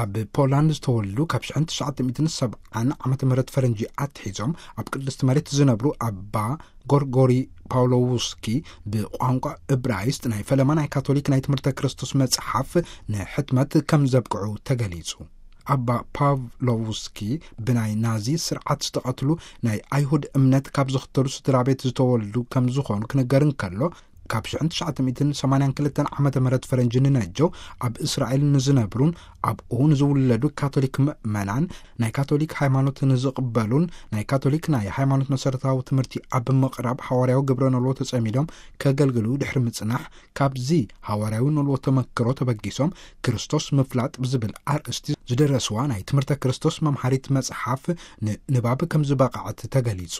ኣብ ፖላንድ ዝተወልዱ፣ ካብ ሽሕን ትሽዓተ ሚእትን ሰብዓን ዓመተ ምህረት ፈረንጂ ኣትሒዞም ኣብ ቅድስቲ መሬት ዝነብሩ ኣባ ጎርጎሪ ፓውሎውስኪ፣ ብቋንቋ እብራይስጥ ናይ ፈለማ ናይ ካቶሊክ ናይ ትምህርተ ክርስቶስ መጽሓፍ ንሕትመት ከም ዘብቅዑ ተገሊጹ። ኣባ ፓቭሎቭስኪ ብናይ ናዚ ስርዓት ዝተቐትሉ ናይ ኣይሁድ እምነት ካብ ዝኽተሉ ስድራ ቤት ዝተወልዱ ከም ዝኾኑ ክንገር እንከሎ፣ ካብ ሽሕን ትሽዓተ ሚእትን ሰማንያን ክልተን ዓመተ ምህረት ፈረንጂ ንነጀው ኣብ እስራኤል ንዝነብሩን ኣብኡ ንዝውለዱ ካቶሊክ ምእመናን፣ ናይ ካቶሊክ ሃይማኖት ንዝቕበሉን ናይ ካቶሊክ ናይ ሃይማኖት መሰረታዊ ትምህርቲ ኣብ ምቕራብ ሓዋርያዊ ግብረ ኖሎ ተጸሚዶም ከገልግሉ ድሕሪ ምጽናሕ፣ ካብዚ ሓዋርያዊ ኖሎ ተመክሮ ተበጊሶም ክርስቶስ ምፍላጥ ብዝብል ኣርእስቲ ዝደረስዋ ናይ ትምህርተ ክርስቶስ መምሃሪት መጽሓፍ ንንባብ ከም ዝበቕዐት ተገሊጹ።